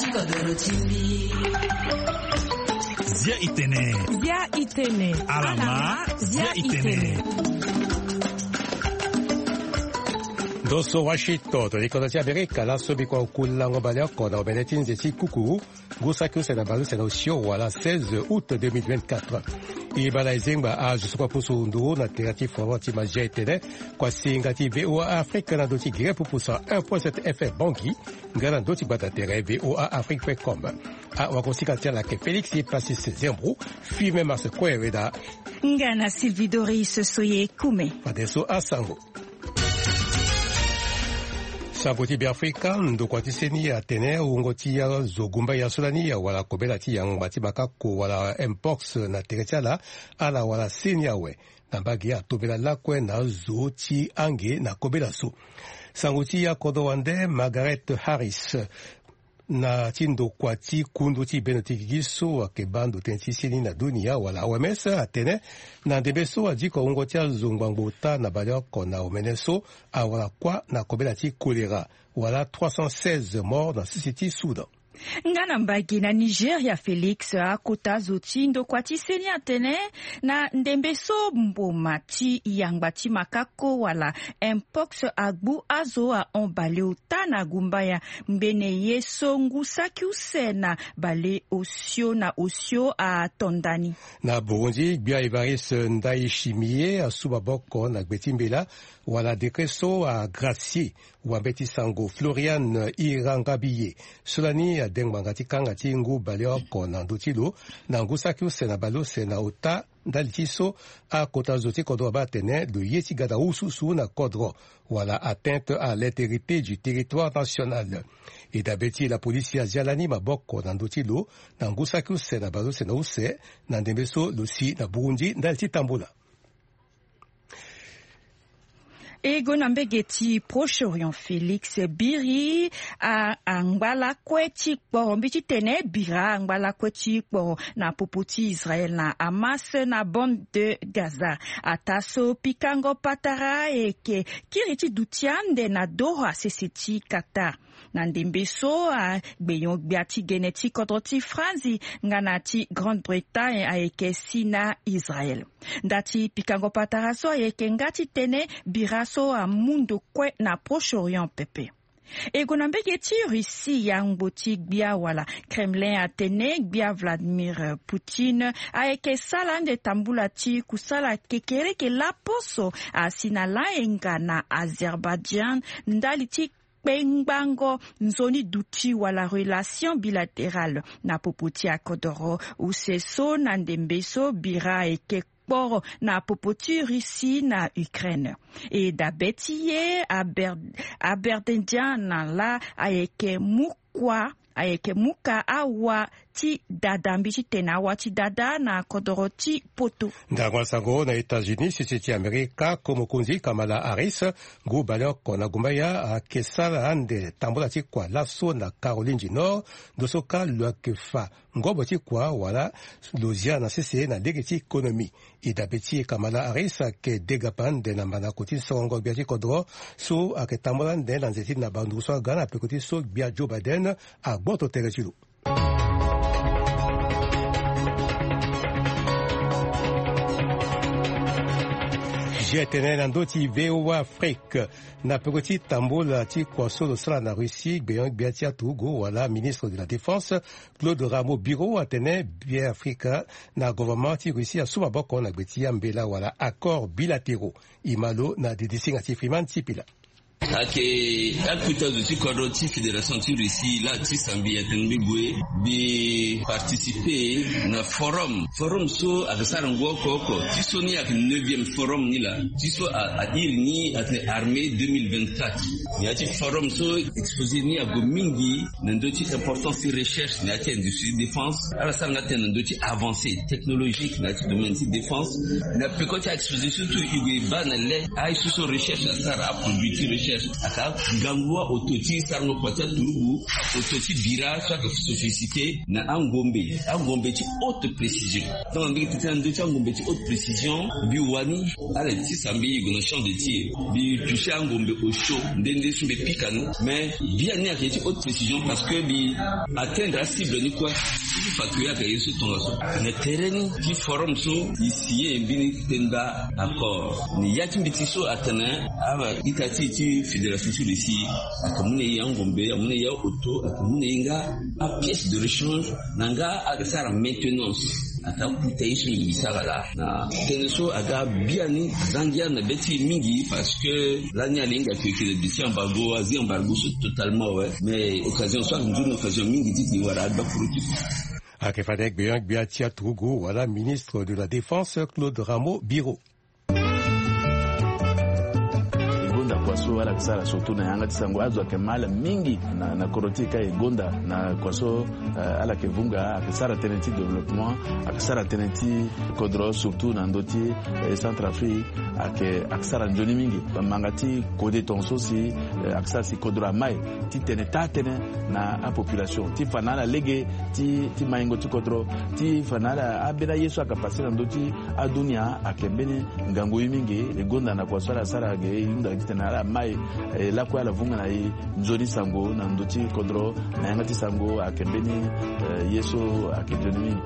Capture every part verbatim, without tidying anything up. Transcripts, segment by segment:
Zia itene. Zia itene. Alama. Zia itene. Ndo so Washington, to likondo ti Amerika, laso bikua kulango baleoko na omene ti nze ti kuku, ngu saki use na baleuse na osio wala seize août deux mille vingt-quatre. E baa na e zengba azo so kue apusu nduru na tere ti forum ti mazia etene, kua singa ti V O A Afrique na ndö ti Guinée pupu cent un point sept F M Bangui, nga na ndö ti gbata tere V O A Afrique point com. Awakosika ti ala ayeke Félix Passis Zembrou, Firmin Mars Kue Weda. Nga na Sylvie Doris Soye Kume. Fadeso asango. Sango ti Beafrika, ndokua ti seni atene wungo ti azo gumbaya so lani awara kobela ti yangba ti makako wala mpox na tere ti ala, ala wara seni awe. Na mbage atombela lakue na azo ti ange na kobela so. Sango ti akodro wande Margaret Harris na ti ndokua ti kundu ti bendo ti gigi so ayeke baa ndo tënë ti seni na dunia wala O M S atene, na ndembe so adiko wungo ti azo ngbangbo ota na baleoko na omene so awara kuâ na kobela ti kolera, wala trois cent seize morts na sese ti Soudan. Nga na mbage na Nigeria, Félix, akota zo ti ndokua ti seni atene, na ndembe so mboma ti yangba ti makako wala mpox agbu azo ahon baleota na gumbaya, ngbene ye so ngu saki use na baleosio na osio ato nda ni. Na Burundi, gbia Évariste Ndayishimiye asu maboko na gbe ti mbela wala décret so agracier wambeti sango Florian Irangabiye, so lani ade ngbanga ti kanga ti ngu baleoko na ndö ti lo, na ngu saki use na baleuse na ota, ndali ti so akota zo ti kodro abaa atene lo ye ti ga na ususu na kodro, wala atteinte à l'intégrité du territoire national. E dabe ti e, lapolisi azia lani maboko na ndö ti lo, na ngu saki use na baleuse na use, na ndembe so lo si na Burundi ndali ti tambola. E gue na mbege ti Proche-Orient, Félix, biri a, angba lakue ti kporo, mbi ti tene bira angba lakue ti kporo na popo ti Israël na Hamas na bande de Gaza. Ataa so pikango patara ayeke kiri ti duti ande na Doha, sese ti Qatar. Na ndembe so, a, gbenyo-gbia ti gene ti kodro ti Franzi nga na ti Grande-Bretagne ayeke si na Israël. Nda ti pikango patara so ayeke nga titene bira so amu ndo kue na Proche-Orient pepe. E gue na mbege ti Russie, yangbo ti gbia wala Kremlin atene gbia Vladimir Poutine ayeke sara ande tambula ti kusala kekereke laposo asi na layenga na Azerbaïdjan ndali ti kpengbango nzoni duti wala relation bilatérale na popo ti akodoro use so. Na ndembe so bira ayeke kporo na popo ti Russie na Ukraine. E dabe ti e Aber-, Aberdendian na la ayeke mu kua, ayeke mu ka awa ti dada, mbi ti tene awa ti dada na kodoro ti poto. Ndango asango na États-Unis, sese ti Amerika, ko mokonzi Kamala Harris, ngu baleoko na gumbaya, ayeke sara ande tambula ti kua laso na Caroline du Nord, ndo so kâ lo yeke fa ngobo ti kua wala lo zia na sese na lege ti économie. E dabe ti e, Kamala Harris ayeke degapa ande na mandako ti sorongo gbia ti kodro so ayeke tambula ande na nze ti na banduru so aga na peko ti so gbia Joe Biden agboto tere ti lo. Zia tene na ndö ti V O A Afrique, na peko ti tambula ti kua so lo sara na Russie, gbenyo-gbia ti aturugu wala ministre de la Défense, Claude Rameau-Bureau, atene Beafrika na gouvernement ti Russie asu maboko na gbe ti ambela wala accords bilatéraux. E ma lo na didisinga ti Freeman Sipila. Ayeke akota zo ti kodro ti Fédération ti Russie laa ti sambi atene mbi gue mbi participer na forum. Forum so ayeke sara ngu oko oko. Ti so ni ayeke neuvième forum ni laa. Ti so a, a iri ni atene armée deux mille vingt-quatre. Na ya ti forum so exposé ni ague mingi na ndö ti importance ti recherche na ya ti industrie défense. Ala sara nga tënë na ndö ti avancée technologique na ya ti domaine ti défense. Na peko ti a-exposé so tout e gue e baa na le aye so so recherche asara, aproduit ti recherche. Aka ngangu aoto ti sarango kua ti aturugu, oto ti bira so ayeke sophistiqué na angombe, angombe ti haute précision. Tongana mbeni tete na ndö ti angombe ti haute précision, mbi wani ala ti sambe e gue na champ de tir, mbi touché angombe osio nde nde so mbi pika ni. Mais biani ayeke ti haute précision parce que mbi atteindre acible ni kue. Ti fa kue ayeke ye so tongaso na terrain ni ti forum so e signé mbeni tenda accord. Ni ya ti mbeti so atene aba ita ti e ti fédération ti Russie aka mu na e angombe, amu na e aoto, aka mu na e nga apièce de rechange, na nga aka sara maintenance. Aka kuta ye so e sara laa na tënë so aga biani zangia na be ti e mingi parce que lani alinga ke ke de ti embargo, azi embargo so totalement awe. Mais occasion so aka nzoni occasion mingi ti e wara agba koro ti. Ayeke fade gbia gbia ti aturugu wala ministre de la défense Claude Rameau Biro. E gonda kua so ala yeke sara surtout na yanga ti sango, azo ayeke ma ala mingi na, na kodro ti e ka e gonda na kua so, eh, ala yeke vunga, ayeke sara tënë ti développement, ayeke sara tënë ti kodro surtout na ndö ti, eh, Centrafrique, ayeke, ayeke sara nzoni mingi. Manga ti kode tongaso si, eh, ayeke sara si kodro amai titene taa tënë na apopulation ti fa na ala lege ti, ti maingo ti kodro, ti fa na ala ambeni aye so ayeke passé na ndö ti adunia ayeke mbeni ngangu ye mingi. E gonda na kua so ala sara ge e hunda titene ala mai, eh, lakue ala vunga na e nzoni sango na ndö ti kodro na yanga ti sango ayeke mbeni, eh, ye so ayeke nzoni mingi.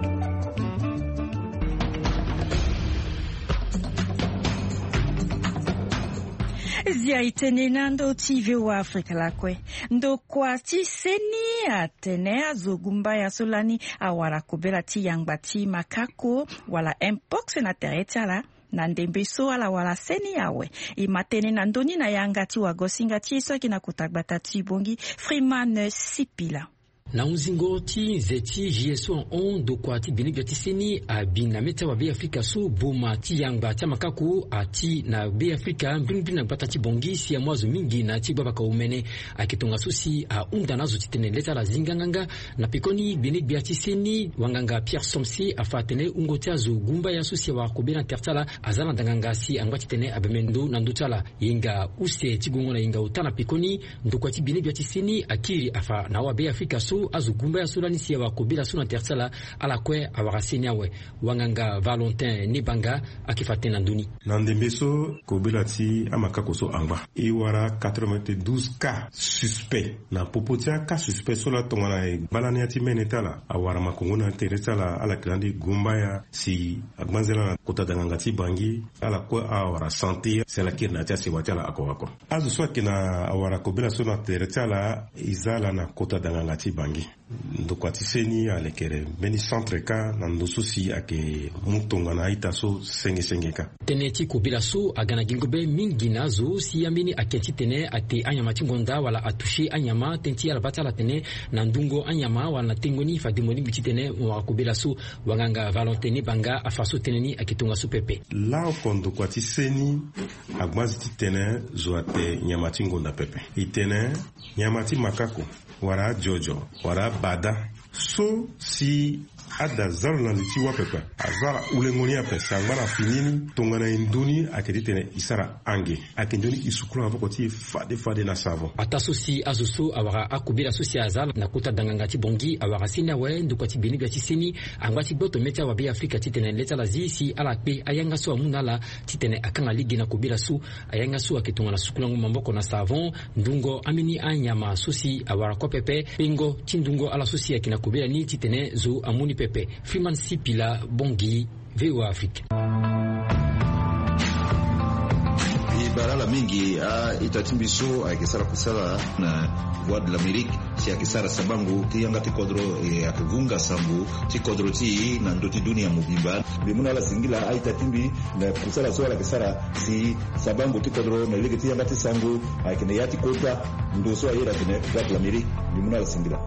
Zia e tene na ndö ti V O A Afrika lakue. Ndokua ti seni atene azo gumbaya so lani awara kobela ti yangba ti makako wala mpox na tere ti ala. Na ndembe so ala wara seni awe, e ma tënë na ndö ni na yanga ti wagosinga ti e so ayeke na kota gbata ti Bangui, Freeman Sipila. Na hunzingo ti nze ti G S O ahon, ndokua ti gbenegbia ti seni abi na mê ti awabeafrika so boma ti yangba ti amakako ati na beafrika mbirimbiri na gbata ti Bangui si amu azo mingi na ya ti gbabaka omene. Ayeke tongaso si ahunda na azo titene le ti ala zinga nganga. Na pekoni gbenegbia ti seni wanganga Pierre Somsi afa atene wungo ti azo gumbaya so si awara kobela na tere ti ala aza na danganga si angba titene abembe ndo na ndö ti ala. Hinga use ti gongo na hinga ota na pekoni, ndokua ti gbenegbia ti seni akiri afa na awabeafrika so azo gumbaya so lani si awara kobela so na tere ti ala, ala kue awara seni awe. Wanganga Valentin Nibanga ayeke fa tënë na ndö ni. Na ndembe so kobela ti amakako so angba, e wara quatre-vingt-douze cas suspects. Na popo ti acas suspect so laa tongana e baa lani ya ti mene ti ala awara makongo na tere ti ala, ala yeke lani gumbaya si agbanzela na kota danganga ti Bangui, ala kue awara santé si ala kiri na ya ti asewa ti ala oko oko. Azo so ayeke na awara kobela so na tere ti ala e za ala na kota danganga ti Bangui. Ndokua ti seni alekere mbeni centre kâ na ndo so si ayeke mu tongana a-ita so senge senge kâ. Tënë ti kobela so aga na gingo be mingi na azo si ambeni ake titene ate anyama ti ngonda wala atouché anyama, tënë ti ala baa ti ala atene na ndungo anyama wala na tengo ni fade mo lingbi titene mo wara kobela so. Wanganga Valentin Nibanga afa so tënë ni ayeke tongaso pepe. Laoko ndokua ti seni agbanzi titene zo ate nyama ti ngonda pepe. E tene nyama ti makako, wala ajojo, wala abada so si ada za lo na li ti wâ pepe, aza ala ulengo ni ape si angba na fini ni tongana e ndö ni ayeke titene e sara ange. Ayeke nzoni e sukula maboko ti e fade fade na savon. Ataa so si azo so awara akobela so si aza na kota danganga ti Bangui awara seni awe, ndokua ti gbenegbia ti seni angba ti gboto mê ti awabeafrika titene le ti ala zi si ala kpe ayanga so amu na ala titene akanga lege na kobela so. Ayanga so ayeke tongana sukulango maboko na savon, ndungo ambeni anyama so si awara kue pepe, pengo ti ndungo ala so si ayeke na kobela ni titene zo amu ni pepe. Freeman Sipila, Bangui, V O A Afrique. E bara ala mingi a-ita ti mbi so ayeke sara kusala na Voix de l'Amérique si ayeke sara sabango ti yanga ti kodro, e ayeke vunga sango ti kodro ti e na ndö ti dunia mobimba. Mbi mu na ala singila a-ita ti mbi na kusala so ala yeke sara si sabango ti kodro na lege ti yanga ti sango ayeke na ya ti kota ndo so ayeda atene Voix de l'Amérique. Mbi mu na ala singila.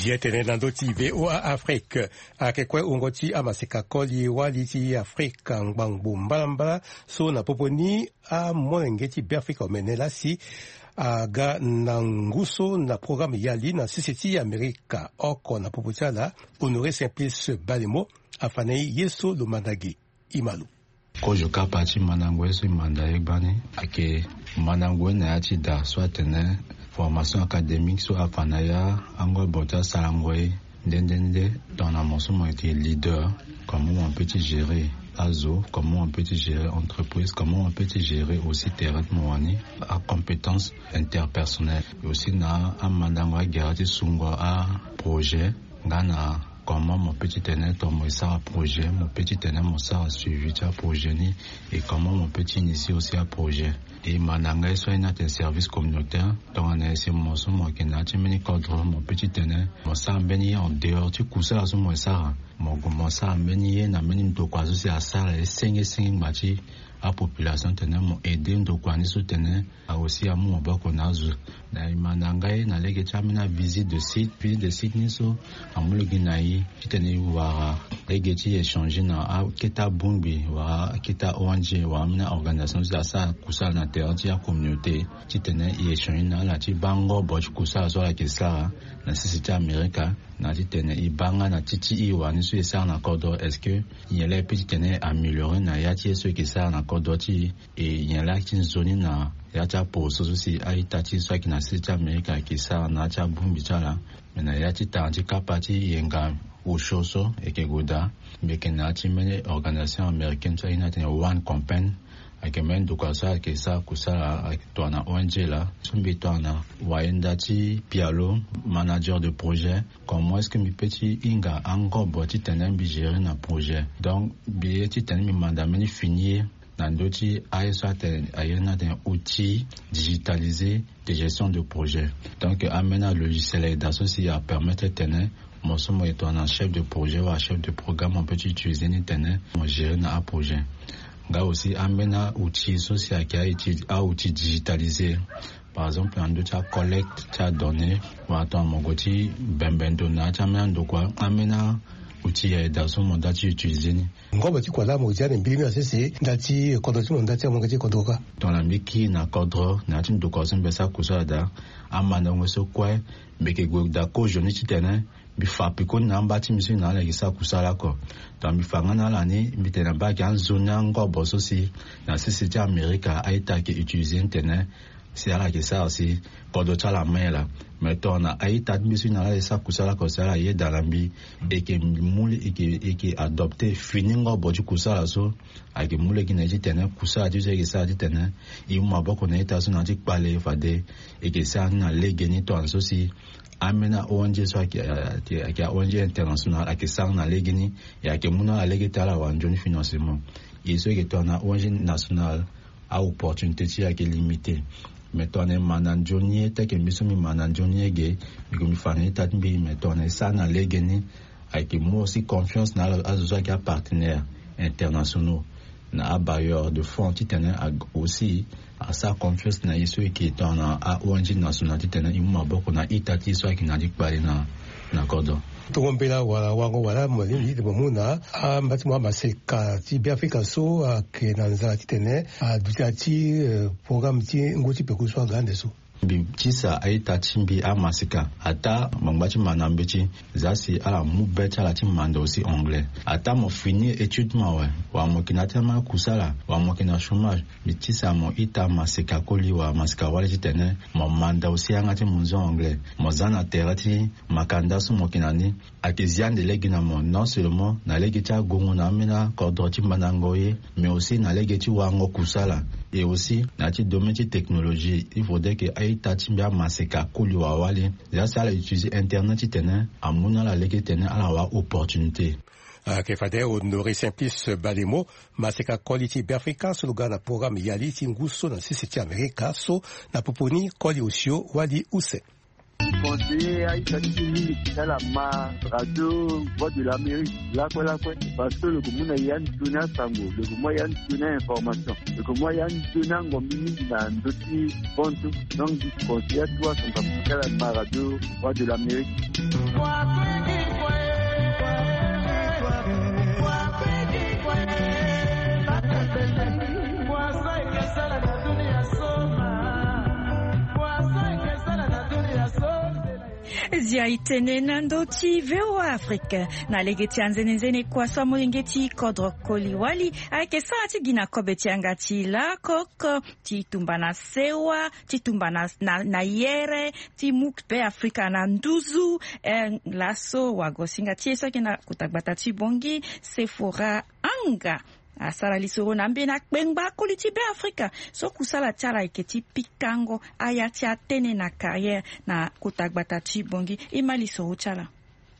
Zia tene na ndö ti V O A Afrique. Ayeke kue wungo ti amaseka koli wali ti Afrika ngbangbo mbalambala so na popo ni amolenge ti Beafrika omene laa si aga na ngu so na programme yali na sese ti Amerika oko na popo ti ala, Honoré Simplice Balemo. Afa na e ye so lo manda ge. I ma lo. Kozo kapa ti mandango ye so e manda ye gbani ayeke mandango ye na ya ti da so atene formation académique so afa na ya angobo ti asarango ye nde nde nde. Tongana mo so mo yeke leader, comment mo peut ti gérer azo, comment mo peut ti gérer entreprise, comment mo peut ti gérer aussi terrain ti mo wani, acompétence interpersonnelle aussi na amandango agere ti sungo aprojet nga na comment mo peut ti tene to mo e sara projet, mo peut ti tene mo sara suivi ti aprojet ni, et comment mo peut ti initier aussi aprojet. E manda nga ye so aye ni atene service communautaire. Tongana ese mo so mo yeke na ya ti mbeni kodro mo peut ti tene mo sara mbeni ye en dehors ti kusala so mo e sara. Mo gue mo sara mbeni ye na mbeni ndokua so si asara ye senge senge ngba ti apopulation tene mo aide ndokua ni so tene a aussi amu maboko na azo. Na e manda nga ye na lege ti ambeni avisite de site, visite de site ni so amu lege na e titene e wara lege ti échange na akete abongbi wala akete aong wala ambeni aorganisation so si asara kusala na terrain ti acommunauté titene e échange na ala ti baa ngobo ti kusala so ala yeke sara na sese ti amerika. Na titene e baa nga na ti ti e wani so e sara na kodro est-ce que nyen laa e peut titene e améliorer na ya ti ye so e yeke sara na kodro ti e? E nyen laa ti nzoni na ya ti aposo so si a-ita ti e so ayeke na sese ti amerika ayeke sara na ya ti abongbi ti ala? Me na ya ti tanga ti kapa ti yenga osio so e yeke gue daa, mbi yeke na ya ti mbeni organisation américaine so aye ni atene one campaign. Ayeke mbeni ndokua so ayeke sara kusala ayeke tongana ong laa so mbi tongana wayenda ti pialo, manager de projet. Comment est-ce que mbi peut ti hinga angobo titene mbi gérer na projet? Donc mbi ye titene mbi manda mbeni fini ye na ndö ti aye so atene aye ni atene outil digitalisé de gestion de projet. Donc ambeni alogiciel ayeke daa so si apermettre tene mo so mo yeke tongana chef de projet wala chef de programme mo peut ti utiliser ni tene mo gérer na aprojet. Nga aussi ambeni aoutil so si ayeke aoutil digitalisé, par exemple na ndö ti acollecte ti adonnée wala tongana mo gue ti bembe ndo na ya ti ambeni andokua, ambeni aoutil ayeke daa so mo daa ti utiliser ni. Ngobo ti kua laa mo zia na mbili ni na sese nda ti kodro ti mo nda ti amonge ti kodro kâ. Tongana mbi kiri na kodro na ya ti ndokua so mbi sara kusala daa, amandango so kue mbi yeke gue daa kozoni titene mbi fa pekoni na amba ti mbi so e na ala yeke sara kusala oko. Tongana mbi fa nga na ala ni mbi tene na mbage anzoni angobo so si na sese ti amerika a-ita ayeke utiliser ni tene si ala yeke sara si kodro ti ala ma ye laa. Me tongana a-ita ti mbi so e na ala yeke sara kusala oko si ala yeda na mbi, e yeke mu e yeke adopter fini ngobo ti kusala so. Ayeke mu lege na e titene kusala ti so e yeke sara titene e mu maboko na ita so na ya ti kpale fade e yeke sara ni na legeni tongana so si ambeni a-ong so ayeke a-ong international ayeke sara ni na legeni. E ayeke mu na ala lege ti ala wara nzoni financement. E so e yeke tongana a-ong national, a-opportunité ti e ayeke limité. Me tongana e ma na nzoni ye tel que mbi so mbi ma na nzoni ye ge, mbi gue mbi fa na ita ti mbi. Me tongana e sara ni na legeni, ayeke mu aussi confiance na ala azo so ayeke apartenaire internationaux na abailleur de fonds titene aussi asara confiance na e so e yeke tongana a-ong national titene e mu maboko na ita ti e so ayeke na ya ti kpale na na kodro. Tongo mbela wala wango wala mo lingbi ti mo mu na amba ti mo amaseka ti beafrika so ayeke na nzara titene aduti na ya ti programme ti ngu ti peko so aga ande so. Mbi tisa a-ita ti mbi amaseka ataa mo ngba ti ma na mbeti. Za si ala mu be ti ala ti manda aussi anglais ataa mo fini étude ti mo awe, wala mo yeke na ya ti ama kusala wala mo yeke na chômage, mbi tisa mo ita maseka koli wala maseka wali titene mo manda aussi yanga ti mo nzon anglais. Mo za na tere ti makanda so mo yeke na ni, ayeke zia ande lege na mo non seulement na lege ti agongo na ambeni akodro ti mandango ye, mais aussi na lege ti wango kusala. Et aussi na ya ti domaine ti technologie il faudrait que a-ita ti mbi amaseka koli wala wali, za si ala utiliser internet titene amu na ala lege titene ala wara opportunité. Ayeke fade Honoré Simplice Bademo, maseka koli ti beafrika so lo ga na programme yali ti ngu so na sese ti amerika so. Na popo ni koli osio wali use. Conseiller a-ita ti mbi mingi ti ala ma radio voix de l'amérique lakue lakue, parce que lo yeke mu na ya nzoni asango, lo yeke mu ya nzoni a-information, lo yeke mu ya nzoni angombi mingi na ndö ti bontu. Donc mbi conseiller atuwa sango ti ala ma radio voix de l'amérique. Zia itene na ndö ti VOA Afrique. Na lege ti anzenenzene kua so amolenge ti kodro koli wali ayeke sara ti gi na kobe ti yanga ti lakoko, ti tumba na sewa, ti tumba na, na, na yere, ti mu Be Afrika na nduzu. Eh, laso wagosinga ti e so ayeke na kota gbata ti Bongi, Sephora Anga, asara lisoro na ambeni akpengba koli ti Be Afrika so kusala ti ala ayeke ti pikango aya ti atene na carrière na kota gbata ti Bongi. E ma lisoro ti ala.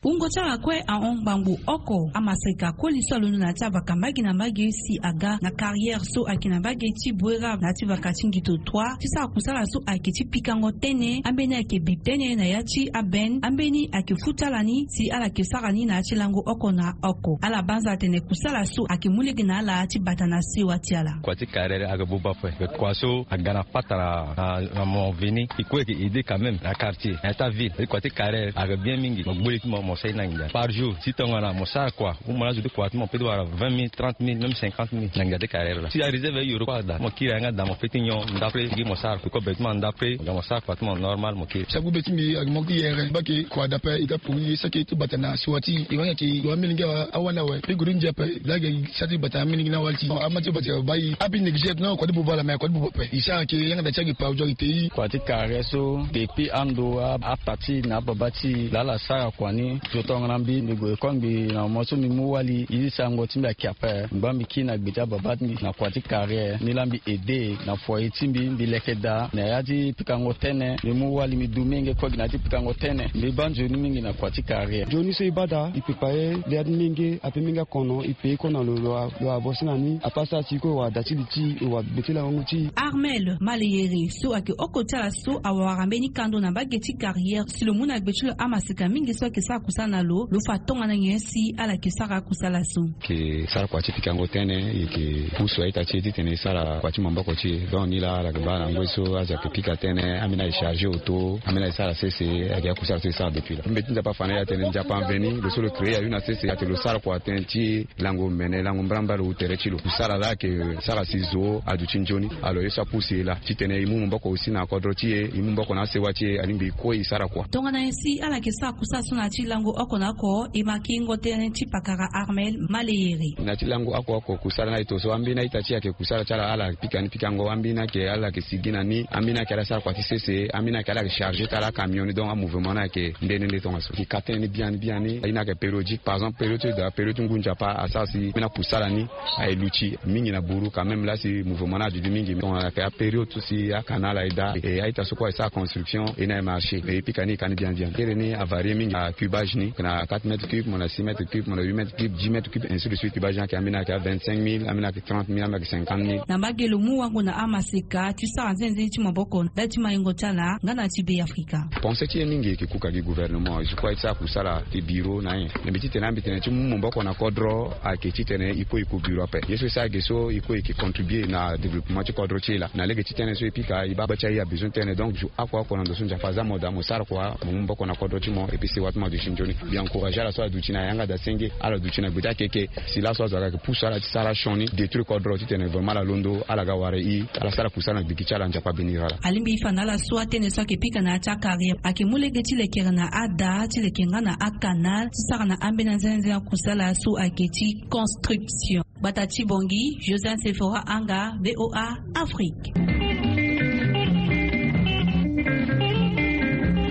Wungo ti ala kue ahon ngbangbo oko amaseka koli so alondo na ya ti avaka mbage na mbage si aga na carrière so ayeke na mbage ti Bouérab na ya ti vaka ti Ngito trois ti sara kusala so ayeke ti pikango tënë. Ambeni ayeke bi tënë na ya ti aben, ambeni ayeke fu ti ala ni si ala yeke sara ni na ya ti lango oko na oko. Ala banza atene kusala so ayeke mu lege na ala ti bata na sewa ti ala. Kua ti carrière ayeke buba ape. Kua so aga na patara na, na mo veni. E kue ayeke aidé quand même na quartier, na ya ti aville. Kua ti carrière ayeke bien mingi. Mo gbu li ti mo, mo sara ni na nginza. Par jour, si tongana mo sara kua, ou mo na zo ti kua ti mo peut ti wara vingt mille, trente mille, même cinquante mille na nginza ti carrière laa. Si aréserve ayoro kue ada, mo kiri yanga daa, mo feti nyon ndapre gi mo sara. Kobe ti mo andapre, mo sara kua ti mo normal, mo kiri. Sa gbu be ti mbi ayeke mo ki yere, bake kua ada ape, e ga pori ye saki ti bata na sewa ti e. Wani ayeke wa amilenge awa, awani awe. Mbi gue ti ndia ape, laa ayeke sa ti bata na amilenge ni awali ti ama ti bata bayi. Abi négligé non, kua ti buba laa, mais kua ti buba ape. E sara ayeke yanga daa ti ayeke pa ozo ayeke te. Kua ti carrière so, depuis ando a, apati na ababa ti e laa ala sara kua ni. Zo tongana mbi, mbi gue école, mbi na mo so mbi mu wali, e ti sango ti mbi ayeke ape. Ngba mbi kiri na gbe ti ababa ti mbi na kua ti carrière, ni laa mbi aidé na foyer ti mbi, mbi leke daa na ya ti pikango tënë. Mbi mu wali, mbi du menge kue gi na ya ti pikango tënë. Mbi baa nzoni mingi na kua ti carrière. Nzoni so e baa daa, e pepa ye, le ya ti menge ape, menge akono, e pe ye kue na lo, lo wa, lo wa bosi na ni. Apasa ti e kue, e wa da ti li ti e, e wa gbe ti langongo ti e. Armel Maleyere so ayeke oko ti ala so awara mbeni kando na mbage ti carrière si lo mu na gbe ti lo amaseka mingi so ayeke sara kusala na lo, lo fa tongana nyen si ala yeke sara kusala so. Yeke sara kua ti pikango tënë, e yeke pusu a-ita ti e titene e sara kua ti maboko ti e. Donc ni laa ala yeke baa na ngoi so azo ayeke pika tënë, ambeni ayeke chargé auto, ambeni ayeke sara sese, ayeke ya kusala so e sara depuis laa. Mbeti Nzapa afa na e atene Nzapa aveni, lo so lo créé aye na sese, atene lo sara kua tënë ti lango mene, lango mbrambra lo tere ti lo. Kusala laa ayeke sara si zo aduti nzoni. Alors ye so apusu e laa titene e mu maboko aussi na kodro ti e, e mu maboko na asewa ti e, alingbi e kue e sara kua. Tongana nyen si ala yeke sara kusala so na ya ti lango oko na oko, e ma kingo tënë ti pakara Armel Maleyere. Na ya ti lango oko oko kusala ni ayeke to so, ambeni a-ita ti e ayeke kusala ti ala, ala pika ni pikango, ambeni ayeke ala yeke sigi na ni, ambeni ayeke ala sara kua ti sese, ambeni ayeke ala yeke chargé ti ala acamion ni. Donc amouvement ni ayeke nde nde nde tongaso. E yeke ka tënë ni biani biani. Aye ni ayeke périodique. Par exemple période ti da, période ti ngu Nzapa asara si mbeni akusala ni aye luti mingi na buru quand même. Laa si mouvement ni aduti mingi, tongana ayeke apériode so si acanal aye daa, e a-ita so kue aye sara construction, e ni aye marché. E pika ni, e ka ni biani biani. Tere ni avarie mingi. Acubage ni ayeke na quatre mètres cubes, mo na six mètres cubes, mo na huit mètres cubes, dix mètres cubes, ainsi de suite. Cubage ni ayeke, ambeni ayeke a vingt-cinq mille, ambeni ayeke trente mille, ambeni ayeke cinquante mille. Na mbage lo mu wango na amaseka ti sara nzenze ti maboko ndali ti maingo ti ala nga na ti Be Afrika. Pensée ti e mingi e yeke kuka gi gouvernement. E zo kue aye ti sara kusala ti bureau na nyen. Na mbi titene, mbi tene ti mu maboko na kodro ayeke titene e kue e ku bureau ape. Ye so e sara ge so, e kue e yeke contribuer na développement ti kodro ti e laa. Na lege ti tënë so e pika, e baa gbe ti aye abezoin tënë. Donc zo oko oko na ndo so Nzapa aza mo daa, mo sara kua, mo mu maboko na kodro ti mo, et puis sewa ti mo aduti nzoni. Mbi encourager ala so aduti na yanga daa senge, ala duti na gbe ti akeke. Si laso azo aga yeke pusu ala ti sara sioni, détruire kodro titene vraiment ala londo, ala ga wara e, ala sara kusala na gbigi ti ala. Nzapa abénir ala. Alingbi e fa na ala so atënë so ayeke pika na ya ti acarrière ayeke mu lege ti lekere na ada, ti leke nga na acanal, ti sara na ambeni anzenze akusala so ayeke ti construction. Gbata ti Bongi, Joseph Sephora Anga, VOA Afrique.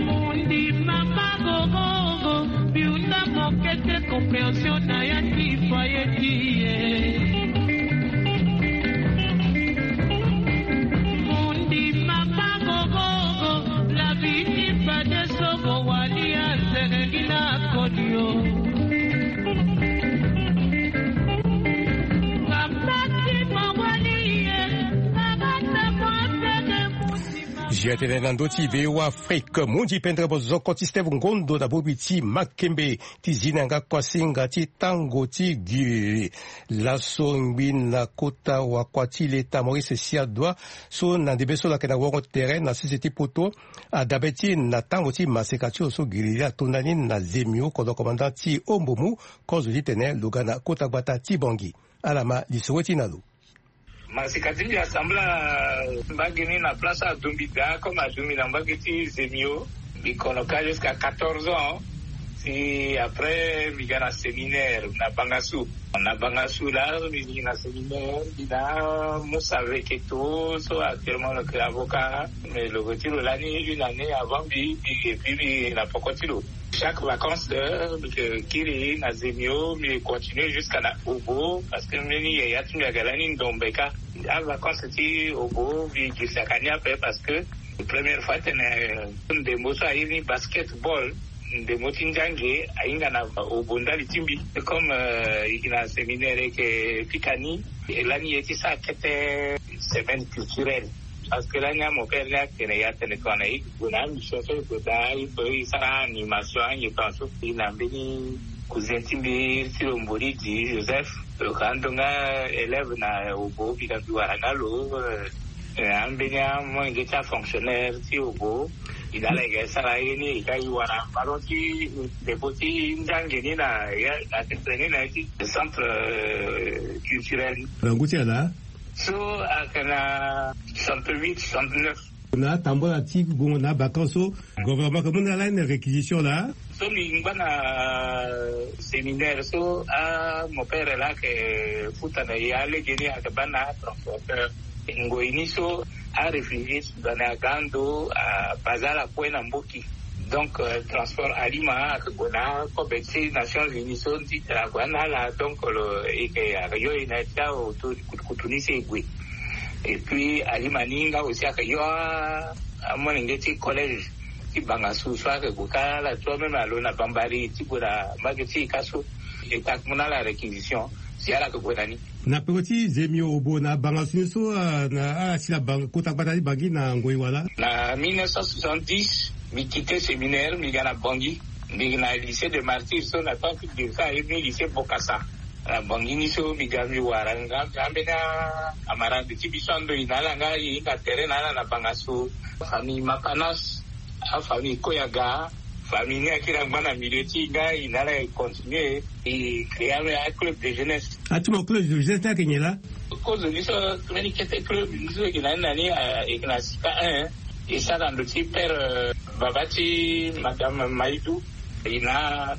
Mundima magogogo, biuna mokete compréhension na ya ti foyer ti ye. Mundima magogogo, la vie ti fade so mo wali azeleli na kodio. Mama ti mo wali ye, mama ta mo tene. Zia tene na ndö ti VOA Afrique, mu ndi pendere bozoko ti Steve Ngondo na bongbi ti makembe ti zi na yanga kuasinga ti tango ti giriri. Laso ngbi na kota wakua ti leta Maurice Siadua so na ndembe so lo yeke na wongo tere na sese ti poto, adabe ti e na tango ti maseka ti lo so giriri ato ndani na Zemio, kodro commandant ti Ombomu, kozo titene lo ga na kota gbata ti Bongi. Ala ma lisoro ti e na lo. Maseka ti mbi asambla mbage ni na place adombi daa comme adombi na mbage ti Zemio. Mbi kono ka jusqu'à quatorze ans. Si après mbi ga na séminaire na Bangassou. Na Bangassou la mbi gi na séminaire mbi na Moussa Veketo so actuellement lo ke avocat. Mais lo ke ti lo lani une année avant mbi mbi et puis mbi na poko ti lo. Chaque vacances mbi ke kiri na Zemio mbi continue jusqu'à na Obo parce que mbeni yaya ti mbi aga lani ndombe ka. Avacances ti Obo mbi girsaka ni ape parce que première fois tene ndembo so airi ni basketball. Ndembo ti nzange ahinga na Obo ndali ti mbi comme e gi na séminaire eke pika ni. E lani ye ti sa kete semaine culturelle. Parce que lani amopere ni atene ya tene tongana e gue na amission so e gue daa e sara animation anyetan so e na mbeni cousin ti mbi ti lo mbori di Joseph. Lo ka ando nga élève na Obo mbi ga mbi wara nga lo. Ambeni amolenge ti afonctionnaire ti Obo. Mbi na ala e ga e sara ye ni e ga e wara ballon ti ndembo ti nzange ni na ya na tete ni na ya ti centre culturel. Na ngu ti ala so aka na soixante-huit soixante-neuf. Na atambula ti gongo na abaka so gouvernement ke mu na ala ni na réquisition laa. So mbi ngba na séminaire so amopere laa ayeke futa na e alege ni ayeke baa na atransporteur. Ngoi ni so aréfugié soudanais aga ando abase ala kue na mboki. Donc transport alima ayeke gue na akobe ti nations unies so ti tene ague na ala donc lo e yeke ayeke yo e na ya ti aoto kutukutu ni so e gue. Et puis alima ni nga aussi ayeke yo amolenge ti collège ti Bangassou so ayeke gue kâ ala tu ameme alo na Bambari ti gue na mbage ti e kâ so. E ta mu na ala réquisition si ala yeke gue na ni. Na peko ti Zemio Obo na Bangassou ni so na ala si na kota gbata ti Bangui na ngoi wala? Na mille neuf cent soixante-dix mbi quitté séminaire mbi ga na Bangui. Mbi na lycée de martyrs so na temps ti giri so airi ni lycée Bokassa. Na Bangui ni so mbi ga mbi wara nga mbi ambeni amarande ti mbi so ando e na ala nga e hinga tere na ala na Bangassou. Famille Mapanas, afamille Koyaga. Famille ni akiri angba na milieu ti e nga e na ala e continue e créé ambeni aclub de jeunesse. Ati mo club de jeunesse ni ayeke nyen laa? Kozo ni so mbeni kete club ni so e yeke na ni na ni e yeke na sika un. E sara na ndo ti père baba ti madame Maïdou. E na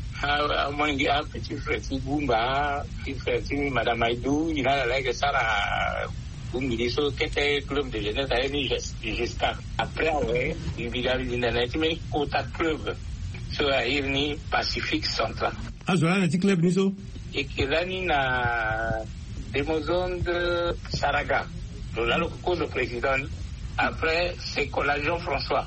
amolenge apetit frère ti Goumba, petit frère ti madame Maïdou e na ala laa e yeke sara. Bongbi ni so kete club de jeunesse airi ni Ges- Gesca. Après awe mbi ga mbi linda na ya ti mbeni kota club so airi ni Pacifique Central. Azo laa na ya ti club ni so? E yeke lani na Demozonde Saraga. Lo laa lo ke kozo président ni. Après c'est Kola Jean François.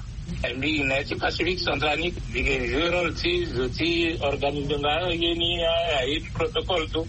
Mbi na ya ti Pacifique Central ni mbi ke joué rôle ti zo ti organisé nga ye ni aye ti protocole so.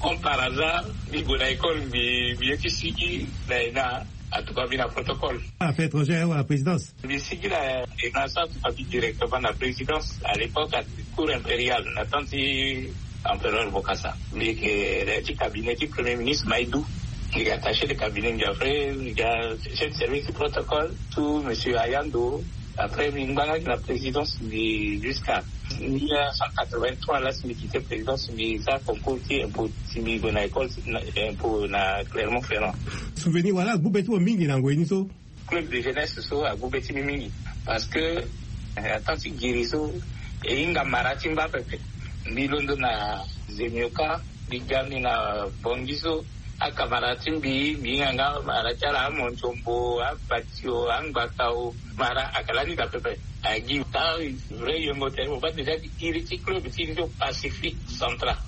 Comme par hasard mbi gue na école mbi mbi ye ti sigi na ena. En tout cas mbi na protocole. Affaires étrangères wala présidence? Mbi sigi na ena so atuka mbi directement na présidence à l'époque à cour impériale na temps ti empereur Bokassa. Mbi yeke na ya ti cabinet ti premier ministre Maïdou. Mbi yeke attaché de cabinet mbi après mbi ga chef de service ti protocole tout monsieur Ayando. Après mbi ngba nga na présidence mbi jusqu'à mille neuf cent quatre-vingt-trois la si mbi quitté présidence mbi sara concours ti impôt si mbi gue na école ti impôt na Clermont-Ferrand. Souvenir wala agbu be ti mo mingi na ngoi ni so? Club de jeunesse so agbu be ti mbi mingi parce que na temps ti giri so e hinga mara ti mba pepe. Mbi londo na Zemioka mbi ga mbi na Bangui so. Akamara ti mbi mbi hinga nga mara ti ala amontiombo abatio angbatao. Mara ayeke lani daa pepe. Agi taa vrai yengo tene mo baa déjà ti iri ti club ti iri ti Pacifique Central.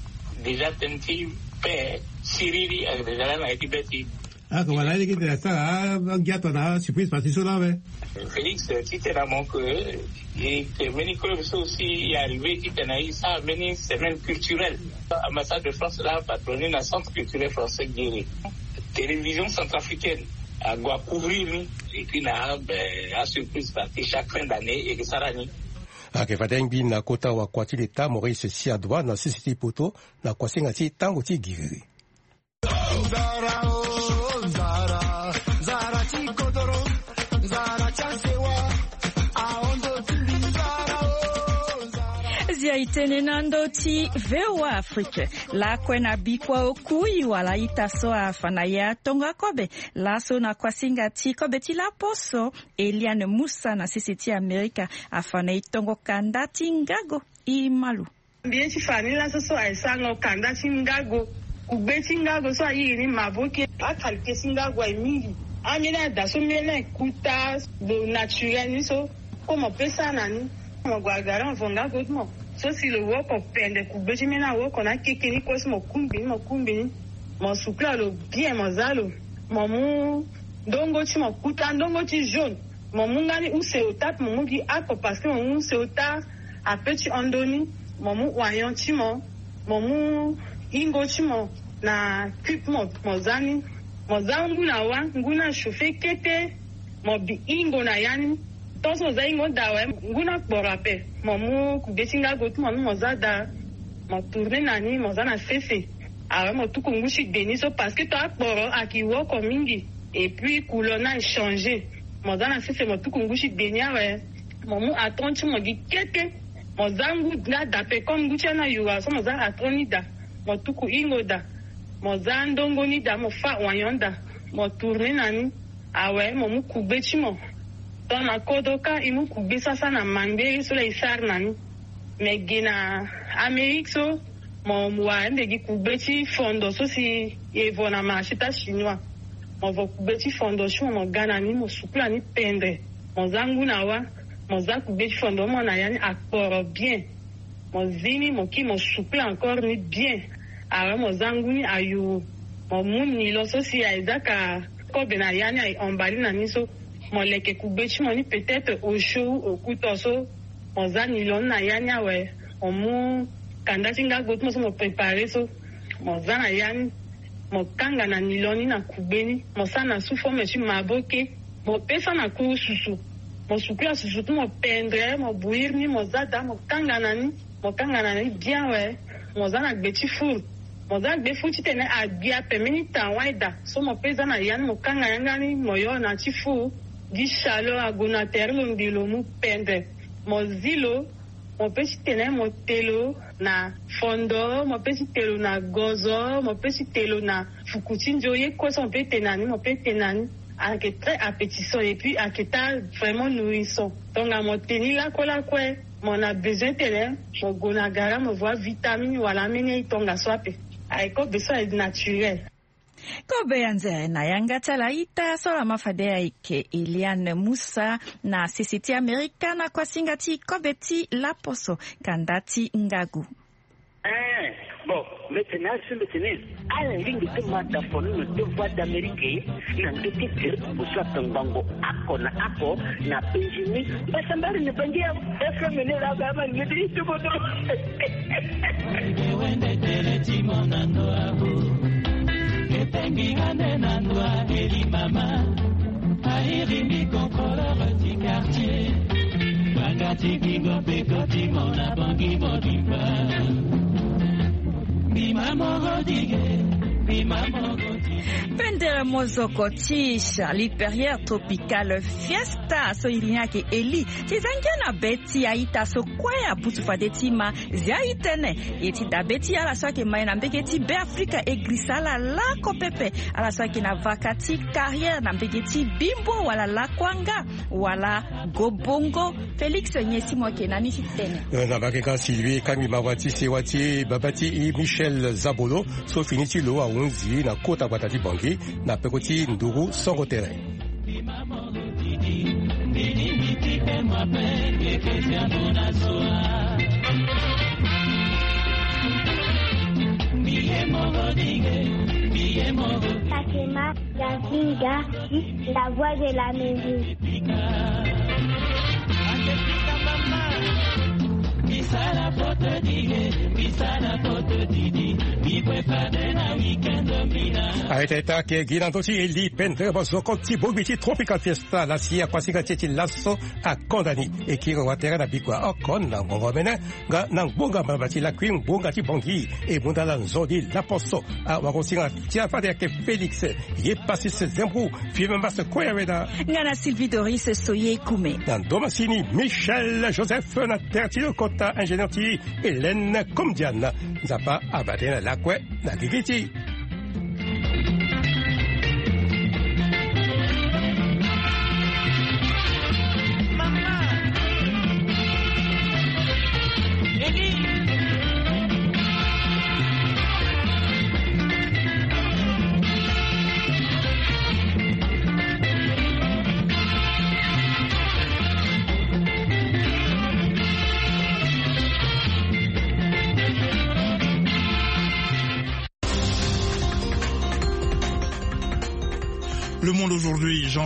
Déjà tënë ti paix siriri ayeke déjà lani na ye ti be ti. Aka wala alege tene asara angia tongana asurprise parti so laa awe. Félix ti tene na mo ke e ke mbeni club so aussi e arrivé ti tene e sara mbeni semaine culturelle. Ambassade de France laa apatronné na centre culturel français Guéret. Télévision centrafricaine ague acouvrir ni. Et puis na asurprise parti chaque fin d'année e ke sara ni. Ayeke fade ngbi na kota wakua ti leta Maurice Siadoua na sese ti poto na kuasinga ti tango ti giriri. Tene na ndo ti VOA Afrique. Lakue na bikua oku i wala ita so afa na ya tongo akobe. Laso na kuasinga ti kobe ti laposo, Eliane Musa na sese ti Amerika afa na e tongo kanda ti ngago. I malu. Mbi ye ti fa ni laso so aye sango kanda ti ngago. Kugbe ti ngago so airi ni maboke. Akalite ti ngago aye mingi. Ambeni ada so mbeni aye kuta lo naturel ni so. Kue mo pesa na ni. Mo gue agara mo vo ngago ti mo. So si lo woko pende kugbe ti mbeni awoko na akeke ni kue so mo kungbi ni, mo kungbi ni. Mo sukula lo bien, mo za lo. Mo mu ndongo ti mo kuta, ndongo ti jaune. Mo mu nga ni use ota, mo mu gi ako parce que mo mu use ota ape ti hon ndoni. Mo mu oignon ti mo, mo mu ingo ti mo na cube mo, mo za ni. Mo za ngu na wa, ngu ni achauffer kete. Mo bi ingo na ya ni. Tant so mo za ingo ni daa awe, ngu ni akporo ape. Mo mu kugbe ti ngago ti mo ni mo za daa. Mo tourner na ni, mo za na sese. Awe, mo tuku ngu ti gbe ni so parce que tant akporo ayeke woko mingi. Et puis couleur ni aye changer. Mo za na sese, mo tuku ngu ti gbe ni awe. Mo mu atron ti mo gi kete. Mo za ngu ni daa ape comme ngu ti ya ni ayura so, mo za atron ni daa. Mo tuku ingo daa. Mo za ndongo ni daa, mo fâ oignon daa. Mo tourner na ni. Awe, mo mu kugbe ti mo. Tant na kodro kâ, e mu kugbe sasa na mangbere so laa e sara na ni. Me ge na Amérique so, mo wara nde gi kugbe ti fondo so si e vo na marché ti achinois. Mo vo kugbe ti fondo ti mo, mo ga na ni, mo sukula ni pendre. Mo za ngu na wa, mo za kugbe ti fondo mo na ya ni akporo bien. Mo zi ni, mo kiri, mo sukula encore ni bien. Awe, mo za ngu ni ayuru. Mo mu nilon so si aye zaka kobe na ya ni, aye emballé na ni so. Mo leke kugbe ti mo ni peut-être au chaud ou au couteau so. Mo za nilon ni na ya ni awe. Mo mu kanda ti ngago ti mo so mo préparer so. Mo za na ya ni. Mo kanga na nilon ni na kugbe ni. Mo sara na sous forme ti maboke. Mo pesa na kuru susu. Mo sukula susu ti mo pendre, mo bouillir ni, mo za daa, mo kanga na ni. Mo kanga na ni bien awe. Mo za na gbe ti four. Mo za gbe four titene agbi ape mbeni tan wai daa. So mo pe za na ya ni, mo kanga yanga ni, mo yo na ti four. Gi chaleur ague na tere lo nde lo mu pendre. Mo zi lo. Mo pe ti tene mo te lo na fondo, mo pe ti te lo na gozo, mo pe ti te lo na fuku ti nzo, ye kue so mo pe te na ni, mo pe te na ni. Ayeke très appétissant et puis ayeke ta vraiment nourrissant. Tonga mo te ni lakue lakue, mo na besoin tene mo gue na gara mo vo avitamine wala ambeni aye tongaso ape. Aye kobe so aye naturel. Kobe ya nzere na yanga ti ala ita so laa ma fade ayeke Eliane Musa na sese ti Amerika na kuasinga ti kobe ti laposo kanda ti ngagu. Eh, bon, mbi tene asi mbi tene ala lingbi ti ma da fo ni na deux voix d'Amérique na ndö ti direct poso ape ngbongo oko na oko na penzi ni. Mbasambari ni bangi ya F M ni la ga ma ni ti tukutu. Wende tele ti mo na ndo abu. Epengi ga nde na ndo a eli mama. Airi ni contrôleur ti quartier. Banga ti kingo pe koti mo na bangi mo di mba. Bima mo go dige, bima mo go dige. Pendere mozoko ti Charlie Perrier Tropical Fiesta so iri ni ayeke Eli. Ti za ngia na be ti a-ita so kue apusu fade ti ma zia itene. E ti dabe ti ala so ayeke ma e na mbege ti Beafrika e girisa ala lako pepe. Ala so ayeke na vaka ti carrière na mbege ti Bimbo wala Lakuanga wala Gobongo. Félix Nyesi mo yeke na ni ti tene. Eh, na mbage ka Sylvie Kangbi Mawa ti sewa ti baba ti Michel Zabolo so fini ti lo ahunzi na kota gbata ti Bangui na peko ti nduru songo tere. Sakema Gazinga, la voix de la mairie. Aita ita ke gi na ndö ti Eli Pendere mozoko ti bongbi ti Tropical Fiesta la si akuasinga ti e ti laso akonda ni. E kiri watere na bikua oko na ngongo mene nga na ngbonga mbamba ti lakui ngbonga ti Bangui e mu ndala nzoni laposo. Awagosinga ti afade ayeke Félix ye Pasis Zembrou, Fieme Mbase Koyaweda. Nga na Sylvie Doris Soye Kume. Na ndo masini Michel Joseph na tere ti lo kota Général ti Hélène Komdiana. Nzapa abate na lakue na gigi ti. Le Monde Aujourd'hui, Jean